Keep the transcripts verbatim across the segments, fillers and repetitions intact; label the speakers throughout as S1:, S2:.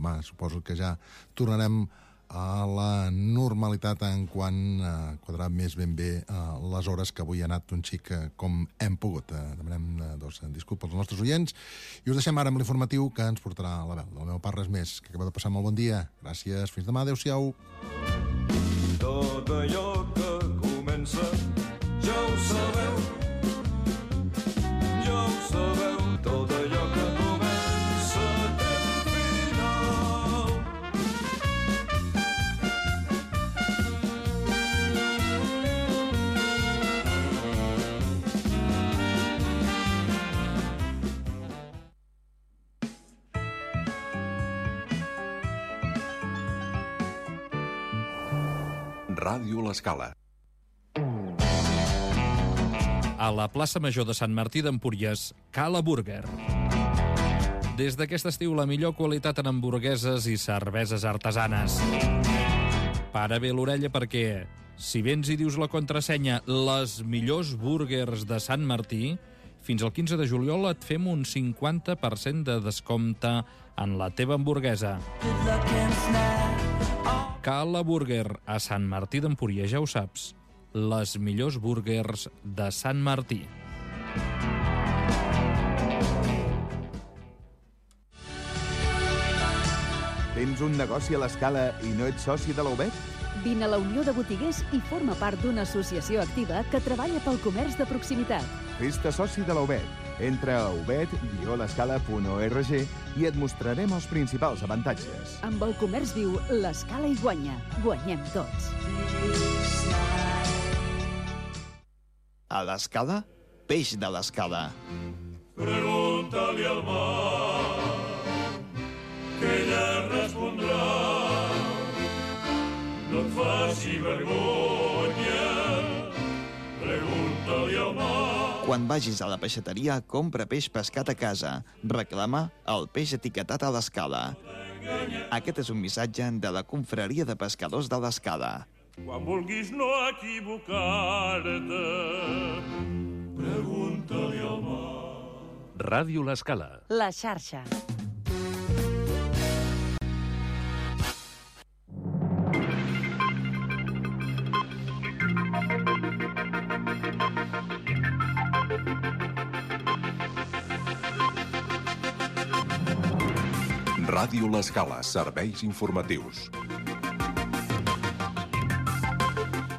S1: demà suposo que ja tornarem a la normalitat en quant a quadrar més ben bé uh, les hores, que avui ha anat un xic uh, com hem pogut. Uh, demanem uh, doncs, disculpes als nostres oients i us deixem ara amb l'informatiu que ens portarà la veu del meu part. Res més, que acaba de passar molt bon dia. Gràcies, fins demà, adeu-siau.
S2: Tot allò que comença ja ho sabeu, ja ho sabeu, tot allò que comença té un final.
S3: Ràdio L'Escala.
S4: A la plaça Major de Sant Martí d'Empúries, Cala Burger. Des d'aquest estiu, la millor qualitat en hamburgueses i cerveses artesanes. Para bé l'orella perquè, si vens i dius la contrasenya les millors burgers de Sant Martí, fins al quinze de juliol et fem un cinquanta per cent de descompte en la teva hamburguesa. Cala Burger, a Sant Martí d'Empúries, ja ho saps. Les millors burgers de Sant Martí.
S5: Tens un negoci a l'Escala i no ets soci de la U B E T?
S6: Vine a la Unió de Botiguers i forma part d'una associació activa que treballa pel comerç de proximitat.
S5: Fes-te soci de la U B E T. Entra a ubet guió l'escala punt org i et mostrarem els principals avantatges.
S6: Amb el comerç viu, l'Escala hi guanya. Guanyem tots.
S7: A l'Escala, peix de l'Escala.
S2: Pregunta-li al mar, que ella respondrà. No et faci vergonya, pregunta-li al mar.
S7: Quan vagis a la peixateria, compra peix pescat a casa. Reclama el peix etiquetat a l'Escala. Aquest és un missatge de la Confraria de Pescadors de l'Escala.
S2: Quan vulguis no equivocar-te, pregunta-li al mar.
S3: Ràdio L'Escala.
S6: La xarxa.
S3: Ràdio L'Escala, serveis informatius.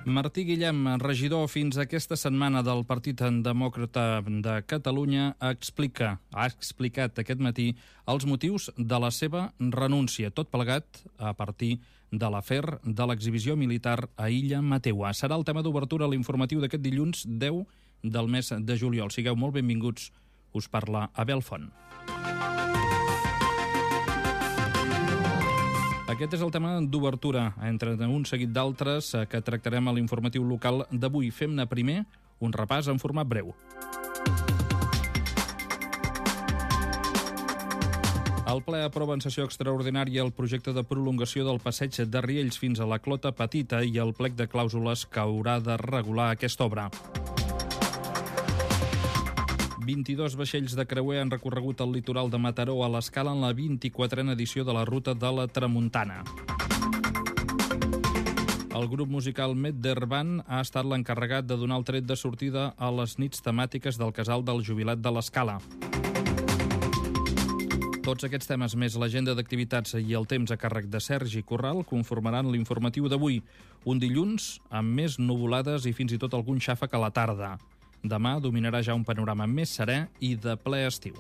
S4: Martí Guillem, regidor fins aquesta setmana del Partit Demòcrata de Catalunya, explica, ha explicat aquest matí els motius de la seva renúncia, tot plegat a partir de l'afer de l'exhibició militar a Illa Mateua. Serà el tema d'obertura a l'informatiu d'aquest dilluns deu del mes de juliol. Sigueu molt benvinguts. Us parla Abel Font. Aquest és el tema d'obertura, entre un seguit d'altres que tractarem a l'informatiu local d'avui. Fem-ne primer un repàs en format breu. El ple aprova en sessió extraordinària el projecte de prolongació del passeig de Riells fins a la Clota Petita i el plec de clàusules que haurà de regular aquesta obra. vint-i-dos vaixells de creuer han recorregut el litoral de Mataró a l'Escala en la vint-i-quatrena edició de la Ruta de la Tramuntana. El grup musical Medderban ha estat l'encarregat de donar el tret de sortida a les nits temàtiques del casal del jubilat de l'Escala. Tots aquests temes, més l'agenda d'activitats i el temps a càrrec de Sergi Corral, conformaran l'informatiu d'avui, un dilluns amb més nuvolades i fins i tot algun xàfec a la tarda. Demà dominarà ja un panorama més serè i de ple estiu.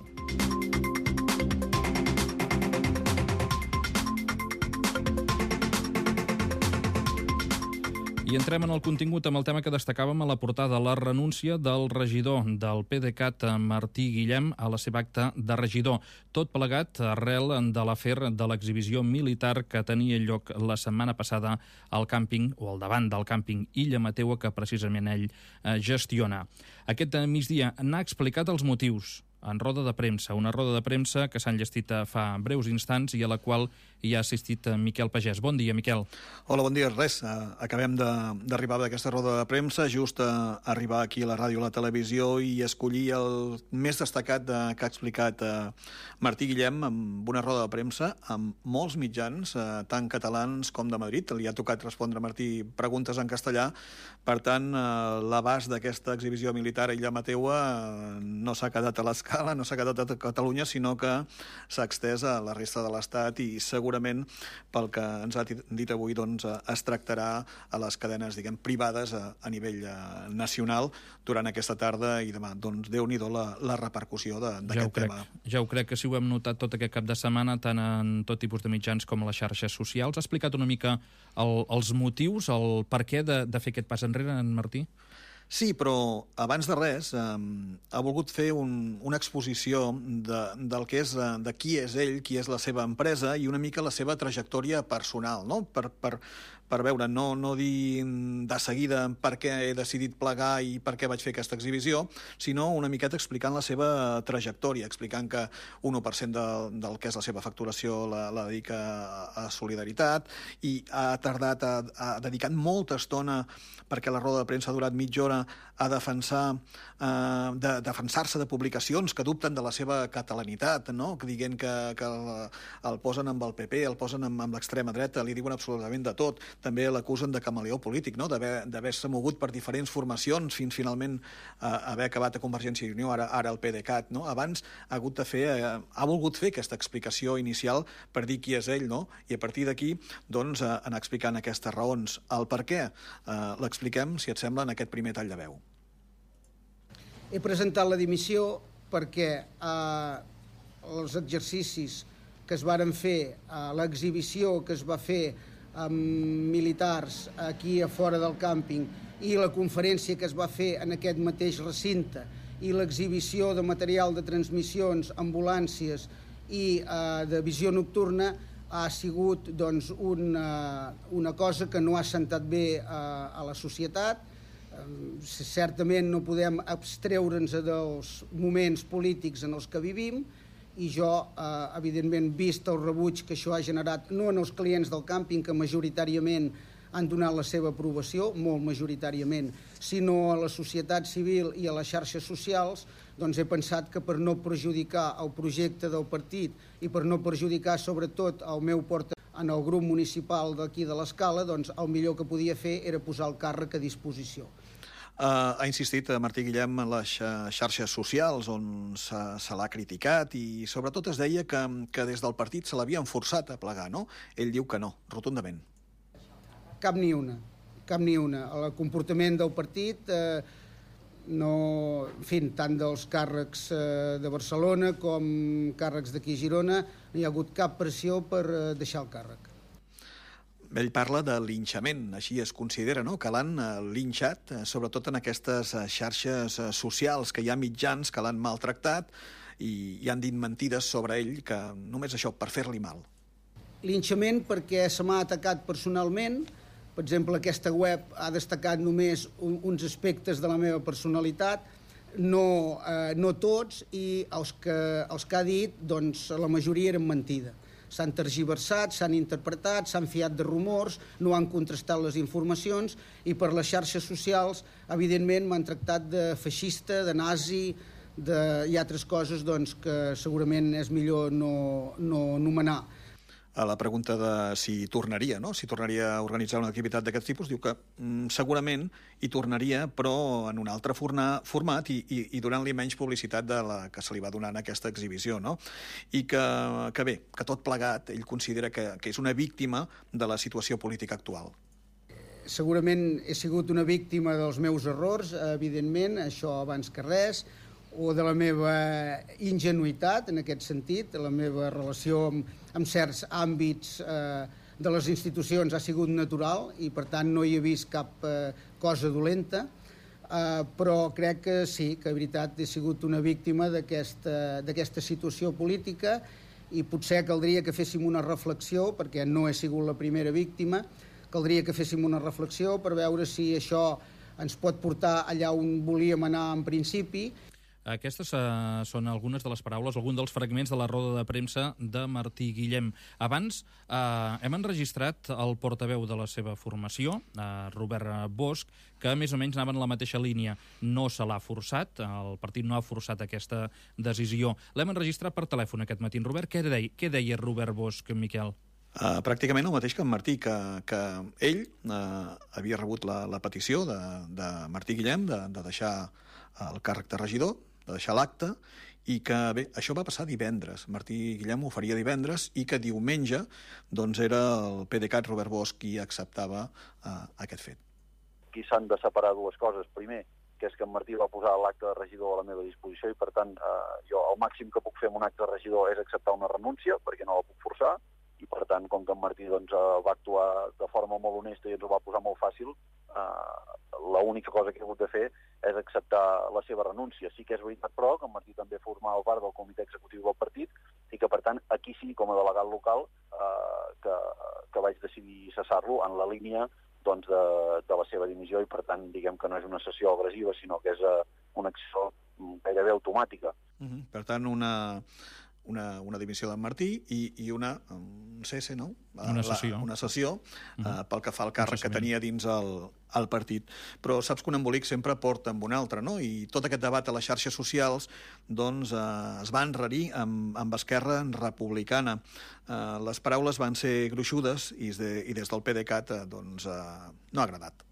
S4: I entrem en el contingut amb el tema que destacàvem a la portada, la renúncia del regidor del PDeCAT, Martí Guillem, a la seva acta de regidor. Tot plegat arrel de l'afer de l'exhibició militar que tenia lloc la setmana passada al càmping, o al davant del càmping Illa Mateua, que precisament ell gestiona. Aquest migdia n'ha explicat els motius. en roda de premsa, una roda de premsa que s'ha enllestit fa breus instants i a la qual hi ha assistit Miquel Pagès. Bon dia, Miquel.
S8: Hola, bon dia. Res, acabem d'arribar d'aquesta roda de premsa, just a arribar aquí a la ràdio i la televisió i escollir el més destacat de, que ha explicat eh, Martí Guillem amb una roda de premsa amb molts mitjans, eh, tant catalans com de Madrid. Li ha tocat respondre a Martí preguntes en castellà. Per tant, eh, l'abast d'aquesta exhibició militar a Illa Mateua eh, no s'ha quedat a l'escala, no s'ha quedat a Catalunya, sinó que s'ha extès a la resta de l'Estat i segurament, pel que ens ha dit avui, doncs, es tractarà a les cadenes, diguem, privades a, a nivell eh, nacional durant aquesta tarda i demà. Doncs Déu-n'hi-do la, la repercussió d'aquest
S4: ja
S8: tema.
S4: Ja ho crec, que sí ho hem notat tot aquest cap de setmana, tant en tot tipus de mitjans com a les xarxes socials. Ha explicat una mica el, els motius, el per què de, de fer aquest pas enrere, en Martí?
S8: Sí, però abans de res eh, ha volgut fer un, una exposició de, del que és, de qui és ell, qui és la seva empresa i una mica la seva trajectòria personal, no? Per, per, per veure, no, no dir de seguida per què he decidit plegar i per què vaig fer aquesta exhibició, sinó una miqueta explicant la seva trajectòria, explicant que un u per cent de, del que és la seva facturació la, la dedica a, a solidaritat i ha tardat, a, a dedicat molta estona perquè la roda de premsa ha durat mitja hora a defensar, eh, de, defensar-se de publicacions que dubten de la seva catalanitat, no? Que dient que, que el, el posen amb el P P, el posen amb, amb l'extrema dreta, li diuen absolutament de tot. També l'acusen de camaleó polític, no? D'haver-se mogut per diferents formacions fins finalment eh, haver acabat a Convergència i Unió, ara, ara el PDeCAT, no? Abans ha hagut de fer, eh, ha volgut fer aquesta explicació inicial per dir qui és ell, no? I a partir d'aquí, doncs, eh, anar explicant aquestes raons. El per què eh, l'expliquem, si et sembla, en aquest primer tall de veu.
S9: He presentat la dimissió perquè eh, els exercicis que es varen fer, eh, l'exhibició que es va fer amb militars aquí a fora del càmping i la conferència que es va fer en aquest mateix recinte i l'exhibició de material de transmissions, ambulàncies i eh, de visió nocturna ha sigut doncs, una, una cosa que no ha sentat bé a, a la societat. Certament no podem abstreure'ns dels moments polítics en els que vivim i jo, eh, evidentment, vist el rebuig que això ha generat, no en els clients del càmping, que majoritàriament han donat la seva aprovació, molt majoritàriament, sinó a la societat civil i a les xarxes socials, doncs he pensat que per no perjudicar el projecte del partit i per no perjudicar sobretot el meu portaveu en el grup municipal d'aquí de l'Escala, doncs el millor que podia fer era posar el càrrec a disposició.
S8: Uh, ha insistit Martí Guillem en les xarxes socials on se, se l'ha criticat i sobretot es deia que, que des del partit se l'havien forçat a plegar, no? Ell diu que no, rotundament.
S9: Cap ni una, cap ni una. El comportament del partit, eh, no, en fi, tant dels càrrecs eh, de Barcelona com càrrecs d'aquí a Girona, no hi ha hagut cap pressió per eh, deixar el càrrec.
S8: Ell parla de linxament, així es considera, no? Que l'han linxat, sobretot en aquestes xarxes socials, que hi ha mitjans que l'han maltractat i, i han dit mentides sobre ell, que només això, per fer-li mal.
S9: Linxament perquè se m'ha atacat personalment. Per exemple, aquesta web ha destacat només un, uns aspectes de la meva personalitat, no, eh, no tots, i els que, els que ha dit, doncs, la majoria eren mentida. S'han tergiversat, s'han interpretat, s'han fiat de rumors, no han contrastat les informacions i per les xarxes socials, evidentment, m'han tractat de feixista, de nazi, de, i altres coses doncs, que segurament és millor no, no anomenar.
S8: A la pregunta de si tornaria, no? si tornaria a organitzar una activitat d'aquest tipus, diu que mm, segurament hi tornaria, però en un altre forna, format i, i, i donant-li menys publicitat de la que se li va donar en aquesta exhibició. No? I que, que bé, que tot plegat ell considera que, que és una víctima de la situació política actual.
S9: Segurament he sigut una víctima dels meus errors, evidentment, això abans que res, o de la meva ingenuïtat, en aquest sentit, la meva relació amb, amb certs àmbits eh, de les institucions ha sigut natural i, per tant, no hi he vist cap eh, cosa dolenta, eh, però crec que sí, que, en veritat, he sigut una víctima d'aquesta d'aquesta situació política i potser caldria que féssim una reflexió, perquè no he sigut la primera víctima, caldria que féssim una reflexió per veure si això ens pot portar allà on volíem anar en principi.
S4: Aquestes uh, són algunes de les paraules, algun dels fragments de la roda de premsa de Martí Guillem. Abans uh, hem enregistrat el portaveu de la seva formació, uh, Robert Bosch, que més o menys anava en la mateixa línia. No se l'ha forçat, el partit no ha forçat aquesta decisió. L'hem enregistrat per telèfon aquest matí. Robert, què deia, què deia Robert Bosch, Miquel?
S8: Uh, pràcticament el mateix que en Martí, que, que ell uh, havia rebut la, la petició de, de Martí Guillem de, de deixar el càrrec de regidor, de deixar l'acte, i que bé, això va passar divendres. Martí Guillem ho faria divendres i que diumenge doncs, era el PDeCAT Robert Bosch qui acceptava uh, aquest fet.
S10: Aquí s'han de separar dues coses. Primer, que és que en Martí va posar l'acte de regidor a la meva disposició i, per tant, eh, jo el màxim que puc fer amb un acte de regidor és acceptar una renúncia, perquè no la puc forçar, i, per tant, com que en Martí doncs, va actuar de forma molt honesta i ens ho va posar molt fàcil, eh, l'única cosa que he hagut de fer és acceptar la seva renúncia. Sí que és veritat, però, que en Martí també formava part del comitè executiu del partit i que, per tant, aquí sí, com a delegat local, eh, que, que vaig decidir cessar-lo en la línia doncs, de, de la seva dimissió i, per tant, diguem que no és una sessió agressiva, sinó que és uh, una acció gairebé automàtica.
S8: Uh-huh. Per tant, una, una, una dimissió d'en Martí i, i una um, C S, no?
S4: Una sessió.
S8: La, una sessió uh, uh, pel que fa al càrrec que tenia dins el, el partit. Però saps que un embolic sempre porta amb un altre, no? I tot aquest debat a les xarxes socials doncs, eh, es va enrarir amb, amb Esquerra Republicana. Eh, les paraules van ser gruixudes i, de, i des del PDeCAT eh, doncs, eh, no ha agradat.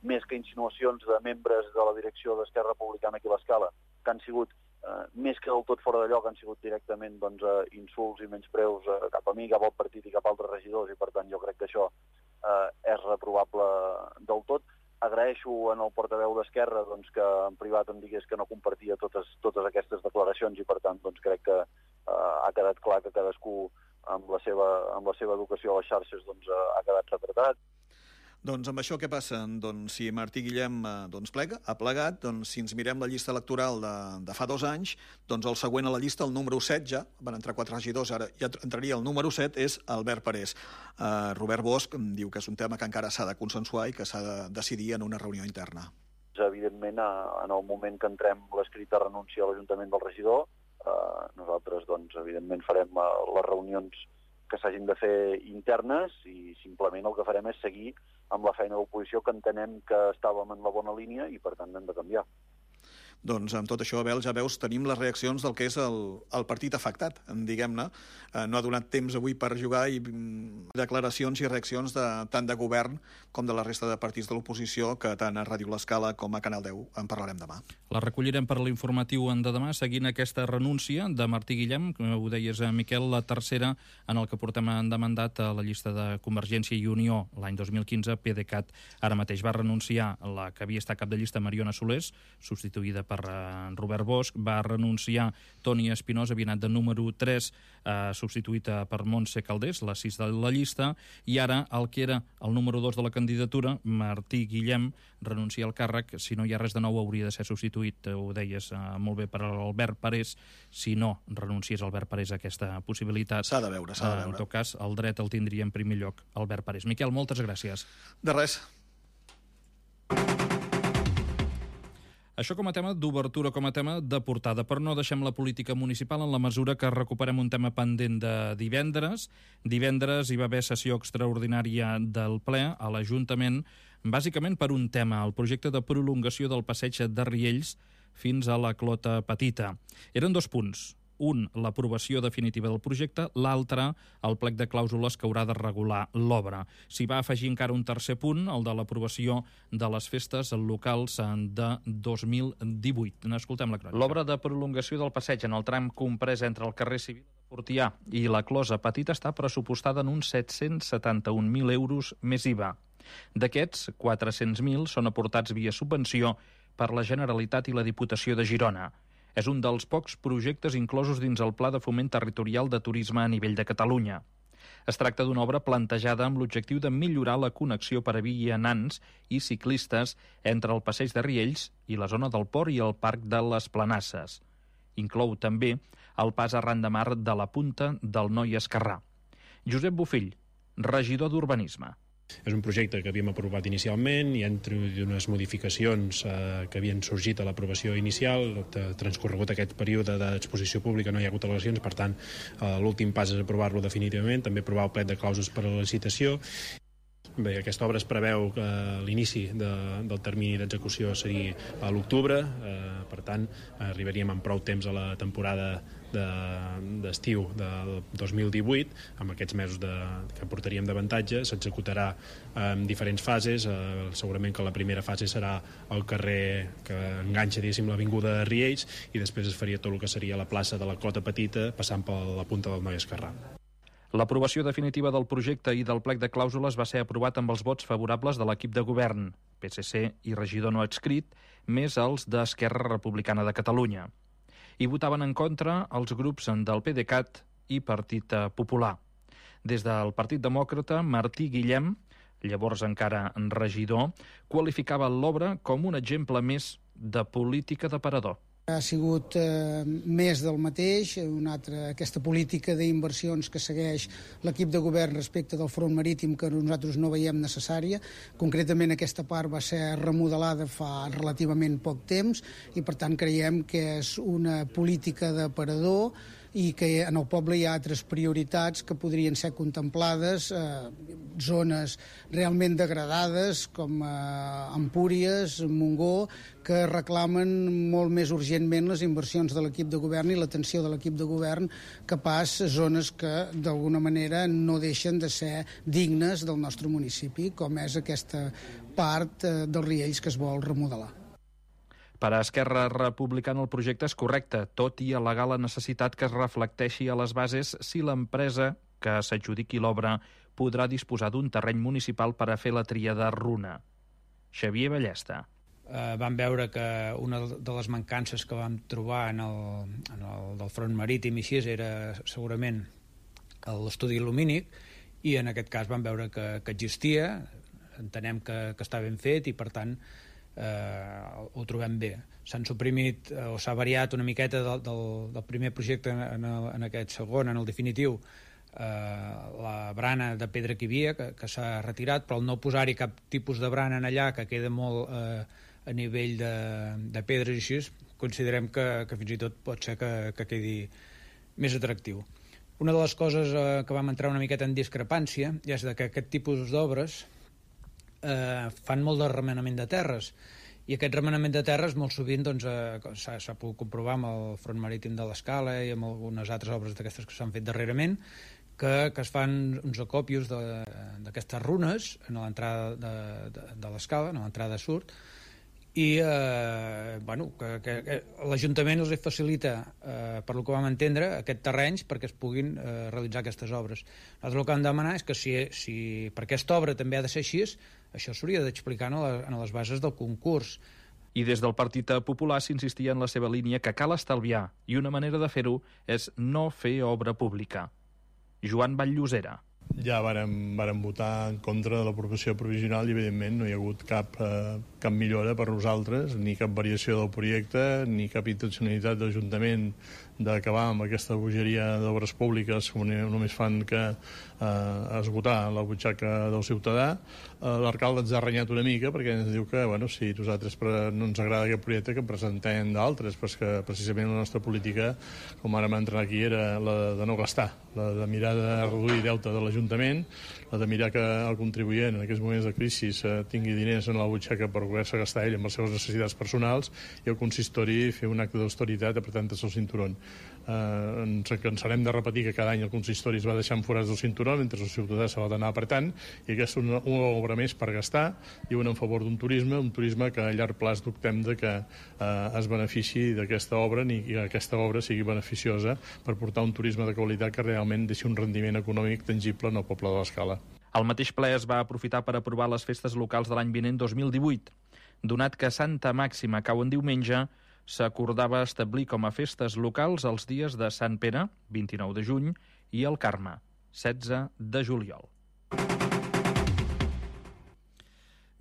S10: Més que insinuacions de membres de la direcció d'Esquerra Republicana aquí a l'Escala, que han sigut eh, més que del tot fora de lloc, han sigut directament doncs, eh, insults i menyspreus eh, cap a mi, cap al partit i cap a altres regidors, i per tant jo crec que això eh, és reprovable del tot. Agraeixo en el portaveu d'Esquerra doncs, que en privat em digués que no compartia totes, totes aquestes declaracions i per tant doncs, crec que eh, ha quedat clar que cadascú amb la seva, amb la seva educació a les xarxes doncs, eh, ha quedat retratat.
S8: Doncs amb això què passa? Doncs si Martí Guillem eh, doncs plega, ha plegat, doncs si ens mirem la llista electoral de, de fa dos anys, doncs el següent a la llista, el número set ja, van entrar quatre regidors, ara ja entraria el número set, és Albert Parés. Eh, Robert Bosch diu que és un tema que encara s'ha de consensuar i que s'ha de decidir en una reunió interna.
S10: Evidentment, en el moment que entrem l'escrit de renúncia a l'Ajuntament del regidor, eh, nosaltres, doncs, evidentment, farem eh, les reunions que s'hagin de fer internes i simplement el que farem és seguir amb la feina d'oposició que entenem que estàvem en la bona línia i per tant hem de canviar.
S8: Doncs amb tot això, Abel, ja veus, tenim les reaccions del que és el, el partit afectat, diguem-ne. Eh, no ha donat temps avui per jugar i mm, declaracions i reaccions de, tant de govern com de la resta de partits de l'oposició, que tant a Ràdio L'Escala com a Canal deu en parlarem demà.
S4: La recollirem per l'informatiu de demà, seguint aquesta renúncia de Martí Guillem, ho deies, Miquel, la tercera en el que portem de mandat a la llista de Convergència i Unió l'any dos mil quinze, PDeCAT. Ara mateix va renunciar la que havia estat cap de llista, Mariona Solés, substituïda per per Robert Bosch, va renunciar Toni Espinosa, havia anat de número tres, eh, substituïta per Montse Caldés, la sis de la llista, i ara el que era el número dos de la candidatura, Martí Guillem, renuncia al càrrec. Si no hi ha res de nou, hauria de ser substituït, ho deies eh, molt bé, per Albert Parés. Si no renunciés Albert Parés a aquesta possibilitat,
S8: s'ha de veure, s'ha de veure.
S4: En tot cas, el dret el tindria en primer lloc Albert Parés. Miquel, moltes gràcies.
S8: De res.
S4: Això com a tema d'obertura, com a tema de portada, però no deixem la política municipal en la mesura que recuperem un tema pendent de divendres. Divendres hi va haver sessió extraordinària del ple a l'Ajuntament, bàsicament per un tema, el projecte de prolongació del passeig de Riells fins a la Clota Petita. Eren dos punts. Un, l'aprovació definitiva del projecte, l'altre, el plec de clàusules que haurà de regular l'obra. S'hi va afegir encara un tercer punt, el de l'aprovació de les festes locals de dos mil divuit. N'escoltem la crònica. L'obra de prolongació del passeig en el tram comprès entre el carrer Civil de Fortià i la Closa Petita està pressupostada en uns set-cents setanta-un mil euros més I V A. D'aquests, quatre-cents mil són aportats via subvenció per la Generalitat i la Diputació de Girona. És un dels pocs projectes inclosos dins el Pla de Foment Territorial de Turisme a nivell de Catalunya. Es tracta d'una obra plantejada amb l'objectiu de millorar la connexió per a vianants i ciclistes entre el passeig de Riells i la zona del port i el Parc de les Planasses. Inclou també el pas arran de mar de la Punta del Noi Esquerrà. Josep Bofill, regidor d'Urbanisme.
S11: És un projecte que havíem aprovat inicialment i entre unes modificacions eh, que havien sorgit a l'aprovació inicial, transcorregut aquest període d'exposició pública no hi ha hagut al·legacions, per tant eh, l'últim pas és aprovar-lo definitivament, també aprovar el plec de clàusules per a la licitació. Bé, aquesta obra es preveu que l'inici de, del termini d'execució seria a l'octubre, eh, per tant arribaríem amb prou temps a la temporada d'estiu de, del dos mil divuit, amb aquests mesos de, que portaríem d'avantatge. S'executarà en diferents fases, eh, segurament que la primera fase serà el carrer que enganxa, diguéssim, l'avinguda de Riells, i després es faria tot el que seria la plaça de la Clota Petita, passant per la punta del Noi Esquerrà.
S4: L'aprovació definitiva del projecte i del plec de clàusules va ser aprovat amb els vots favorables de l'equip de govern, P S C i regidor no adscrit, més els d'Esquerra Republicana de Catalunya. Hi votaven en contra els grups del PDeCAT i Partit Popular. Des del Partit Demòcrata, Martí Guillem, llavors encara regidor, qualificava l'obra com un exemple més de política d'aparador.
S9: Ha sigut eh, més del mateix, una altra, aquesta política d'inversions que segueix l'equip de govern respecte del front marítim que nosaltres no veiem necessària. Concretament aquesta part va ser remodelada fa relativament poc temps i per tant creiem que és una política d'aparador i que en el poble hi ha altres prioritats que podrien ser contemplades, eh, zones realment degradades com eh, Empúries, Montgó, que reclamen molt més urgentment les inversions de l'equip de govern i l'atenció de l'equip de govern que pas zones que d'alguna manera no deixen de ser dignes del nostre municipi, com és aquesta part eh, dels Riells que es vol remodelar.
S4: Per a Esquerra Republicana el projecte és correcte, tot i al·legar la necessitat que es reflecteixi a les bases si l'empresa que s'adjudiqui l'obra podrà disposar d'un terreny municipal per a fer la tríada runa. Xavier Ballesta.
S12: Eh, vam veure que una de les mancances que vam trobar en el, en el del front marítim i així era segurament l'estudi lumínic, i en aquest cas vam veure que, que existia, entenem que, que està ben fet i per tant eh, ho trobem bé. S'han suprimit eh, o s'ha variat una miqueta del, del, del primer projecte en, el, en aquest segon, en el definitiu, eh, la brana de pedra que hi havia, que, que s'ha retirat, però al no posar-hi cap tipus de brana en allà, que queda molt eh, a nivell de, de pedres i així, considerem que, que fins i tot pot ser que, que quedi més atractiu. Una de les coses eh, que vam entrar una miqueta en discrepància és de que aquest tipus d'obres eh, fan molt de remenament de terres, i aquest remenament de terres molt sovint doncs, eh, s'ha pogut comprovar amb el front marítim de l'Escala i amb algunes altres obres d'aquestes que s'han fet darrerament, que, que es fan uns acopios d'aquestes runes a l'entrada de, de, de l'Escala, a l'entrada sud, i eh, bueno, que, que, que l'Ajuntament els facilita, eh, per lo que vam entendre, aquests terrenys perquè es puguin eh, realitzar aquestes obres. Nosaltres el que hem de demanar és que si, si per aquesta obra també ha de ser així, això s'hauria d'explicar en, la, en les bases del concurs.
S4: I des del Partit Popular s'insistia en la seva línia que cal estalviar, i una manera de fer-ho és no fer obra pública. Joan Vall-llosera.
S13: Ja vàrem, vàrem votar en contra de l'aprovació provisional i, evidentment, no hi ha hagut cap, eh, cap millora per nosaltres, ni cap variació del projecte, ni cap intencionalitat de l'Ajuntament d'acabar amb aquesta bogeria d'obres públiques que només fan que eh, esgotar la butxaca del ciutadà. Eh, L'alcalde ens ha renyat una mica perquè ens diu que, bueno, si nosaltres no ens agrada aquest projecte, que presentem d'altres, però és que precisament la nostra política, com ara m'ha entrat aquí, era la de no gastar, la de mirar de reduir deute de l'Ajuntament, la de mirar que el contribuent en aquests moments de crisi eh, tingui diners en la butxaca per poder-se gastar ell amb les seves necessitats personals, i el consistori fer un acte d'austeritat apretant-se el cinturón. Eh, ens cansarem de repetir que cada any el consistori es va deixant forats del cinturó mentre el ciutadà se l'ha d'anar apretant, i aquesta és una, una obra més per gastar i una en favor d'un turisme, un turisme que a llarg plaç dubtem de que eh, es benefici d'aquesta obra ni que aquesta obra sigui beneficiosa per portar un turisme de qualitat que realment deixi un rendiment econòmic tangible en el poble de l'Escala.
S4: El mateix ple es va aprofitar per aprovar les festes locals de l'any vinent dos mil divuit. Donat que Santa Màxima cau en diumenge, s'acordava establir com a festes locals els dies de Sant Pere, vint-i-nou de juny, i el Carme, setze de juliol.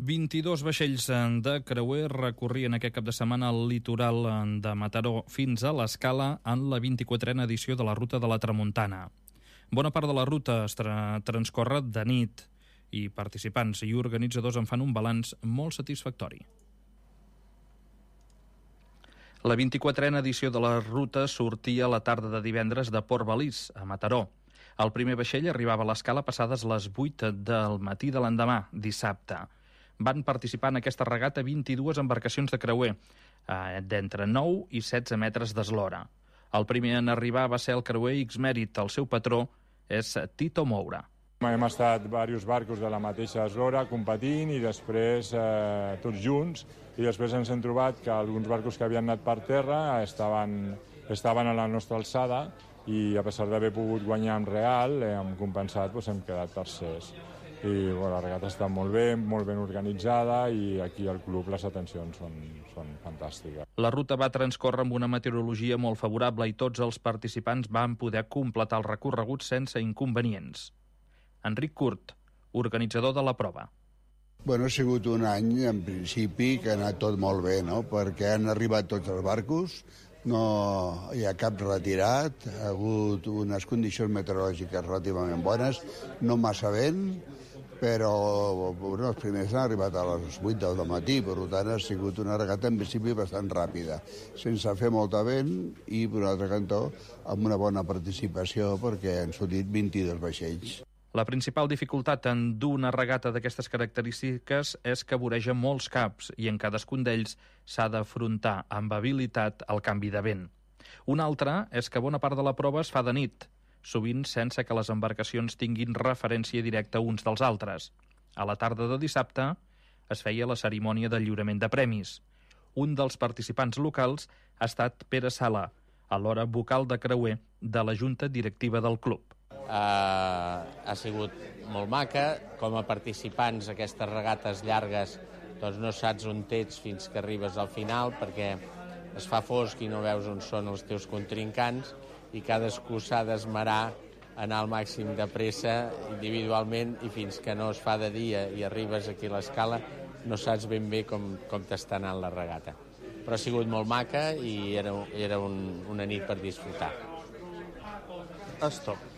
S4: vint-i-dos vaixells de creuer recorrien aquest cap de setmana al litoral de Mataró fins a l'Escala en la vint-i-quatrena edició de la Ruta de la Tramuntana. Bona part de la ruta es tra transcorre de nit i participants i organitzadors en fan un balanç molt satisfactori. La vint-i-quatrena edició de la ruta sortia la tarda de divendres de Port Balís, a Mataró. El primer vaixell arribava a l'escala passades les vuit del matí de l'endemà, dissabte. Van participar en aquesta regata vint-i-dues embarcacions de creuer, eh, d'entre nou i setze metres d'eslora. El primer en arribar va ser el creuer X-Merit. El seu patró és Tito Moura.
S14: Hem estat diversos barcos de la mateixa eslora competint i després eh, tots junts, i després ens hem trobat que alguns barcos que havien anat per terra estaven, estaven a la nostra alçada i a pesar d'haver pogut guanyar en real, eh, hem compensat, doncs hem quedat tercers. I bueno, la regata està molt bé, molt ben organitzada i aquí al club les atencions són, són fantàstiques.
S4: La ruta va transcórrer amb una meteorologia molt favorable i tots els participants van poder completar el recorregut sense inconvenients. Enric Curt, organitzador de la prova.
S15: Bueno, ha sigut un any, en principi, que ha anat tot molt bé, no? Perquè han arribat tots els barcos, no hi ha cap retirat, ha hagut unes condicions meteorològiques relativament bones, no massa vent, però bueno, els primers han arribat a les vuit del matí, per tant ha sigut una regata en principi bastant ràpida, sense fer molta vent i, per un altre cantó, amb una bona participació perquè han sortit vint-i-dos vaixells.
S4: La principal dificultat en dur una regata d'aquestes característiques és que voreja molts caps i en cadascun d'ells s'ha d'afrontar amb habilitat el canvi de vent. Una altra és que bona part de la prova es fa de nit, sovint sense que les embarcacions tinguin referència directa uns dels altres. A la tarda de dissabte es feia la cerimònia de lliurament de premis. Un dels participants locals ha estat Pere Sala, alhora vocal de creuer de la junta directiva del club.
S16: Uh, ha sigut molt maca. Com a participants aquestes regates llargues doncs no saps on ets fins que arribes al final perquè es fa fosc i no veus on són els teus contrincants i cadascú s'ha d'esmerar anar al màxim de pressa individualment i fins que no es fa de dia i arribes aquí a l'escala no saps ben bé com, com t'està anant la regata. Però ha sigut molt maca i era, era un, una nit per disfrutar.
S4: Stop.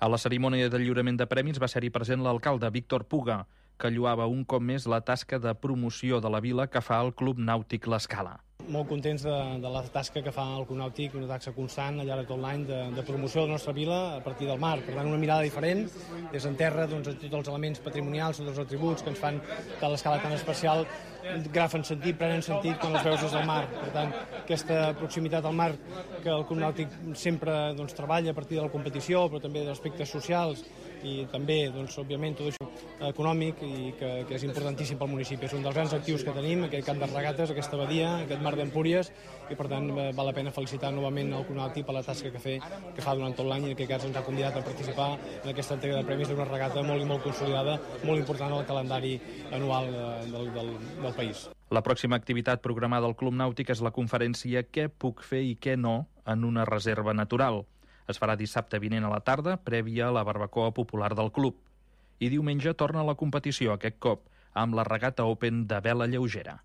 S4: A la cerimònia de lliurament de premis va ser-hi present l'alcalde Víctor Puga, que lloava un cop més la tasca de promoció de la vila que fa el Club Nàutic L'Escala.
S17: Molt contents de, de la tasca que fa el Club Nàutic, una tasca constant al llarg de tot l'any de, de promoció de la nostra vila a partir del mar. Per tant, una mirada diferent, des en terra, doncs, tots els elements patrimonials, tots els atributs que ens fan que l'escala tan especial agafen sentit, prenen sentit quan els veus des del mar. Per tant, aquesta proximitat al mar que el Club Nàutic sempre doncs, treballa a partir de la competició, però també d'aspectes socials i també, doncs, òbviament, tot això econòmic i que, que és importantíssim pel municipi. És un dels grans actius que tenim, aquest camp de regates, aquesta badia, aquest mar d'Empúries, i per tant val la pena felicitar novament el Club Nàutic per la tasca que, fe, que fa durant tot l'any i en aquest cas ens ha convidat a participar en aquesta entrega de premis d'una regata molt i molt consolidada, molt important al calendari anual del, del, del país.
S4: La pròxima activitat programada al Club Nàutic és la conferència Què puc fer i què no en una reserva natural. Es farà dissabte vinent a la tarda, prèvia a la barbacoa popular del club. I diumenge torna a la competició, aquest cop, amb la regata Open de vela lleugera.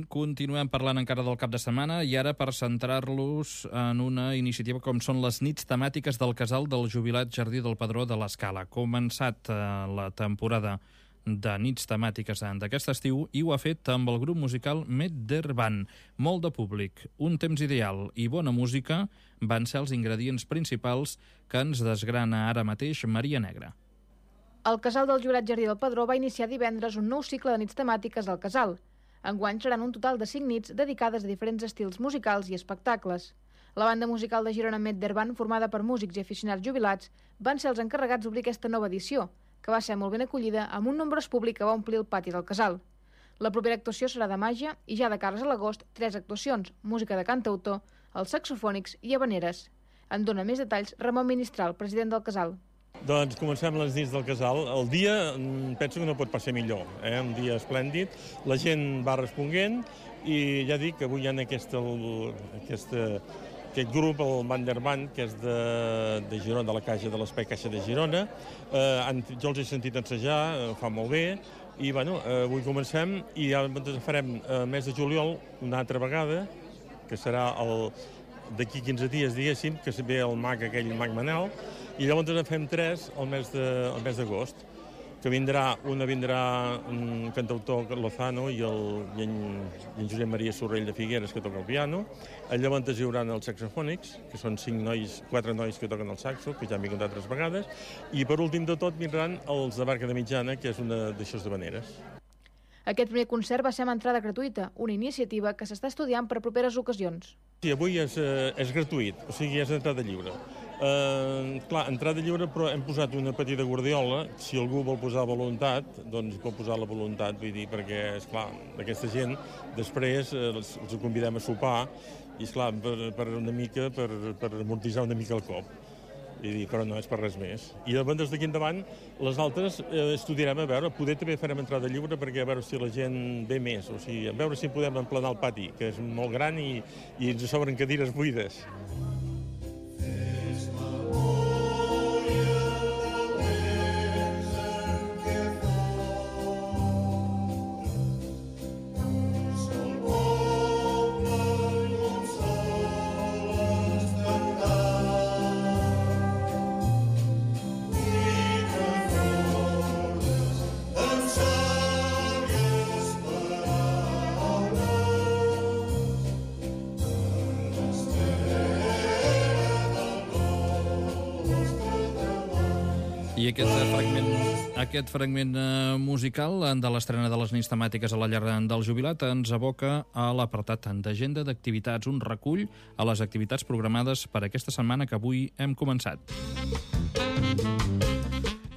S4: Continuem parlant encara del cap de setmana i ara per centrar-los en una iniciativa com són les nits temàtiques del casal del jubilat Jardí del Padró de l'Escala. Ha començat eh, la temporada de nits temàtiques d'aquest estiu i ho ha fet amb el grup musical Meddervan. Molt de públic, un temps ideal i bona música van ser els ingredients principals que ens desgrana ara mateix Maria Negra.
S18: El casal del jubilat Jardí del Padró va iniciar divendres un nou cicle de nits temàtiques al casal. Enguany seran un total de cinc nits dedicades a diferents estils musicals i espectacles. La banda musical de Girona Meddervan, formada per músics i aficionats jubilats, van ser els encarregats d'obrir aquesta nova edició, que va ser molt ben acollida amb un nombrós públic que va omplir el pati del casal. La propera actuació serà de màgia i ja de cares a l'agost, tres actuacions, música de cantautor, els saxofònics i habaneres. En dona més detalls Ramon Ministral, president del casal.
S19: Doncs comencem les nits del casal. El dia penso que no pot passar millor, eh? Un dia esplèndid, la gent va responent i ja dic que avui hi ha aquesta, aquesta, aquest grup, el Manderman, que és de, de Girona, de la Caixa de l'Espai Caixa de Girona. Eh, jo els he sentit ensejar, eh, fa molt bé, i bueno, eh, avui comencem i ja farem el eh, mes de juliol una altra vegada, que serà el d'aquí quinze dies, diguéssim, que ve el mag aquell, el mag Manel, I llavors en fem tres al mes de- al mes d'agost, que vindrà, una vindrà un cantautor Lozano i, el, i, en, i en Josep Maria Sorrell de Figueres, que toca el piano. Llavors hi haurà els saxofònics, que són cinc nois, quatre nois que toquen el saxo, que ja han vingut altres vegades, i per últim de tot vindran els de Barca de Mitjana, que és una d'aixòs de Vaneres.
S18: Aquest primer concert va ser amb entrada gratuïta, una iniciativa que s'està estudiant per a properes ocasions.
S19: Sí, avui és, eh, és gratuït, o sigui, és entrada lliure. Eh, clar, entrada lliure, però hem posat una petita guardiola. Si algú vol posar voluntat, doncs pot posar la voluntat, vull dir, perquè, esclar, aquesta gent, després eh, els, els convidem a sopar, i, esclar, per, per una mica, per, per amortitzar una mica el cop. Vull dir, però no és per res més. I llavors, des d'aquí endavant, les altres eh, estudiarem a veure, poder també farem entrada lliure perquè a veure si la gent ve més, o sigui, a veure si podem emplenar el pati, que és molt gran i, i ens sobren cadires buides.
S4: I aquest fragment, aquest fragment eh, musical de l'estrena de les nits temàtiques a la llar del jubilat ens aboca a l'apartat d'agenda d'activitats, un recull a les activitats programades per aquesta setmana que avui hem començat.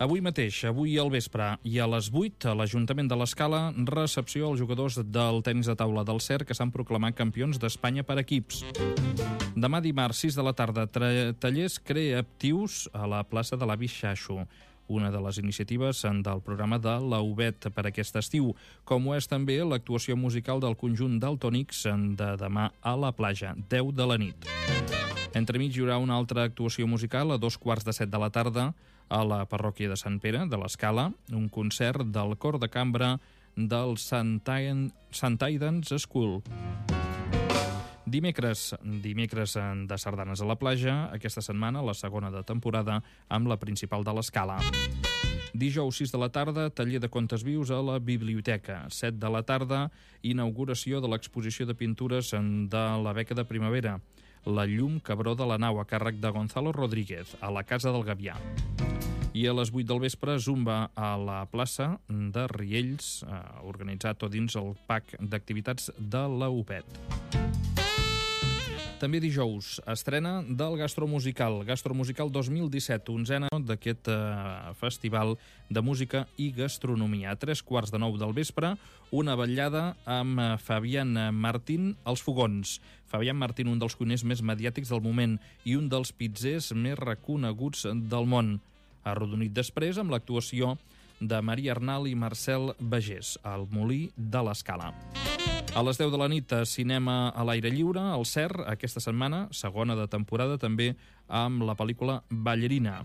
S4: Avui mateix, avui al vespre i a les vuit, a l'Ajuntament de l'Escala, recepció als jugadors del tenis de taula del C E R que s'han proclamat campions d'Espanya per equips. Demà dimarts, sis de la tarda, tallers creatius a la plaça de l'Avi Xaixo, una de les iniciatives del programa de la U B E T per aquest estiu, com ho és també l'actuació musical del conjunt Daltònics de demà a la platja, deu de la nit. Entremig hi haurà una altra actuació musical a dos quarts de set de la tarda a la parròquia de Sant Pere, de l'Escala, un concert del cor de cambra del Sant Aidan's School. Dimecres, dimecres de sardanes a la platja, aquesta setmana, la segona de temporada, amb la principal de l'Escala. Dijous, sis de la tarda, taller de contes vius a la biblioteca. set de la tarda, inauguració de l'exposició de pintures de la beca de primavera. La llum cabró de la nau, a càrrec de Gonzalo Rodríguez, a la Casa del Gavià. I a les vuit del vespre, zumba a la plaça de Riells, eh, organitzat tot dins el pack d'activitats de la U B E T. També dijous, estrena del Gastromusical. Gastromusical dos mil disset, onzena d'aquest eh, festival de música i gastronomia. A tres quarts de nou del vespre, una vetllada amb Fabián Martín als fogons. Fabián Martín, un dels cuiners més mediàtics del moment i un dels pizzers més reconeguts del món. Arrodonit després amb l'actuació de Maria Arnal i Marcel Bagés, al Molí de l'Escala. A les deu de la nit, cinema a l'aire lliure, al C E R, aquesta setmana, segona de temporada, també amb la pel·lícula Ballerina.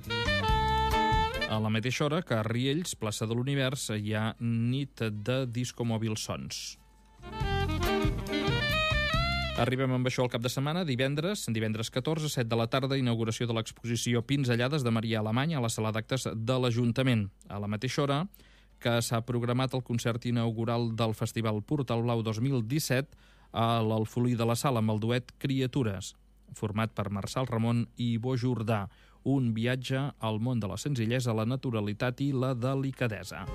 S4: A la mateixa hora que a Riells, plaça de l'Univers, hi ha nit de discomòbil sons. Arribem amb això al cap de setmana, divendres, divendres catorze, set de la tarda, inauguració de l'exposició Pinzellades de Maria Alemany a la sala d'actes de l'Ajuntament. A la mateixa hora que s'ha programat el concert inaugural del Festival Portal Blau dos mil disset a l'Alfolí de la Sala amb el duet Criatures, format per Marçal Ramon i Bo Jordà, un viatge al món de la senzillesa, la naturalitat i la delicadesa.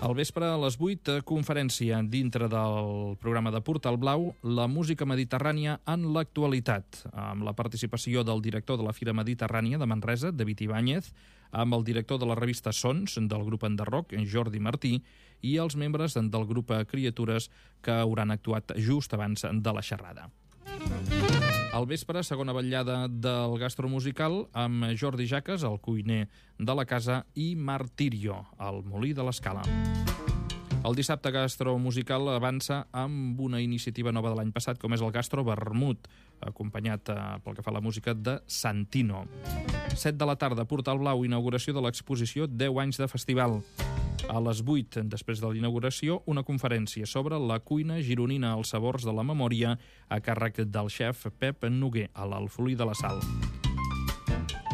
S4: Al vespre, a les vuit, conferència dintre del programa de Portal Blau, la música mediterrània en l'actualitat, amb la participació del director de la Fira Mediterrània de Manresa, David Ibáñez, amb el director de la revista Sons, del grup Enderroc, Jordi Martí, i els membres del grup Criatures que hauran actuat just abans de la xerrada. Al vespre, segona vetllada del gastromusical amb Jordi Jaques, el cuiner de la casa, i Martirio, al Molí de l'Escala. El dissabte gastromusical avança amb una iniciativa nova de l'any passat, com és el Gastro Vermut, acompanyat eh, pel que fa a la música de Santino. set de la tarda, Portal Blau, inauguració de l'exposició deu anys de festival. A les vuit, després de la inauguració, una conferència sobre la cuina gironina als sabors de la memòria a càrrec del xef Pep Noguer, a l'Alfolí de la Sal.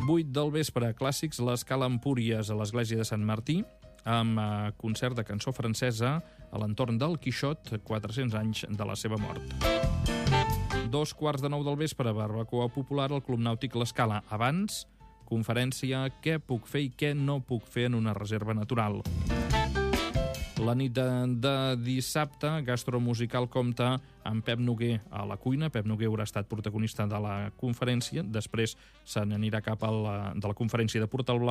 S4: vuit del vespre, clàssics, l'Escala Empúries a l'església de Sant Martí, amb concert de cançó francesa a l'entorn del Quixot, quatre-cents anys de la seva mort. Dos quarts de nou del vespre, barbacoa popular al Club Nàutic l'Escala. Abans, conferència Què puc fer i què no puc fer en una reserva natural. La nit de, de dissabte, Gastromusical compta amb Pep Noguer a la cuina. Pep Noguer haurà estat protagonista de la conferència. Després se n'anirà cap a la, de la conferència de Portal Blau